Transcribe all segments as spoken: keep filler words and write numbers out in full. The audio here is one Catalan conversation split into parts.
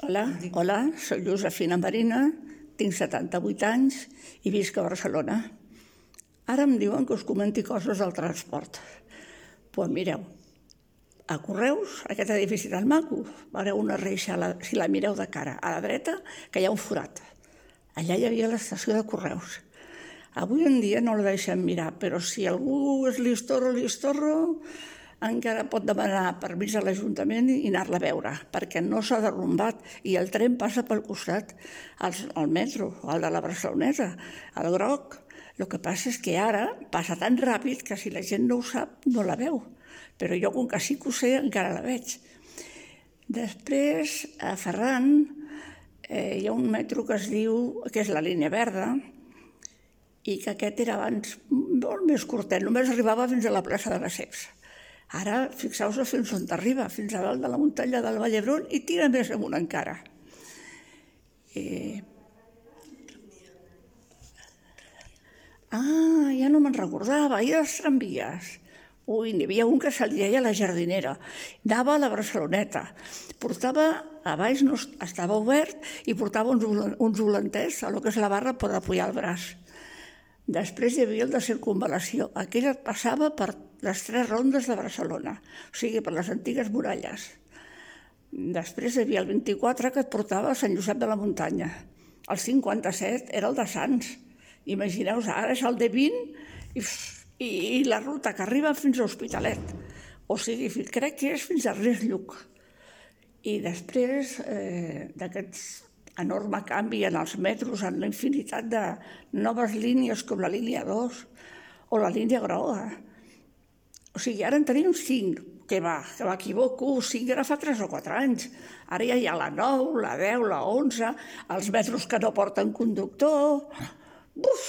Hola, hola, soc Josefina Marina, tinc setanta-vuit anys i visc a Barcelona. Ara em diuen que us comenti coses del transport. Doncs mireu, a Correus, aquest edifici tan maco, veureu una reixa, si la mireu de cara a la dreta, que hi ha un forat. Allà hi havia l'estació de Correus. Avui en dia no la deixem mirar, però si algú és listorro, listorro, encara pot demanar permís a l'Ajuntament i anar-la a veure, perquè no s'ha derrumbat i el tren passa pel costat, el metro, el de la Barceloneta, el groc. El que passa és que ara passa tan ràpid que si la gent no ho sap, no la veu. Però jo, com que sí que ho sé, encara la veig. Després, a Ferran, hi ha un metro que es diu, que és la línia verda, i que aquest era abans molt més curtet, només arribava fins a la plaça de Lesseps. Ara, fixeu-vos fins on arriba, fins a dalt de la muntanya del Vall d'Hebron i tira més amunt encara. Ah, ja no me'n recordava, i els tramvies. Ui, n'hi havia un que se li deia la Jardinera, anava a la Barceloneta, portava, a baix no estava obert i portava uns volanters a lo que és la barra per apoyar el braç. Després hi havia el de circunvalació. Aquell passava per les tres rondes de Barcelona, o sigui, per les antigues muralles. Després hi havia el vint-i-quatre que et portava a Sant Josep de la Muntanya. El cinquanta-set era el de Sants. Imagineu-vos, ara és el de vint i la ruta que arriba fins a Hospitalet. O sigui, crec que és fins a Res Lluc. I després d'aquests enorme canvi en els metros, en la infinitat de noves línies com la línia dos o la línia groga. O sigui, ara en tenim cinc, que va, que m'equivoco, cinc era fa tres o quatre anys. Ara ja hi ha la nou, la deu, la onze, els metros que no porten conductor. Buf!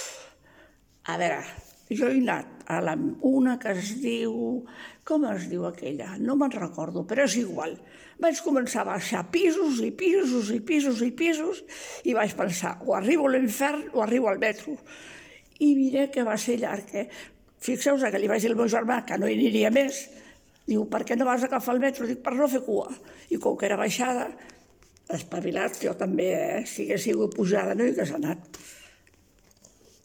A veure, jo he anat a una que es diu... Com es diu aquella? No me'n recordo, però és igual. Vaig començar a baixar pisos i pisos i pisos i pisos i vaig pensar, o arribo a l'infern o arribo al metro. I mira que va ser llarg, eh? Fixeu-vos que li vaig dir al meu germà que no hi aniria més. Diu, per què no vas a agafar el metro? Dic, per no fer cua. I com que era baixada, espavilat, jo també, si hagués sigut pujada, no hi hagués anat.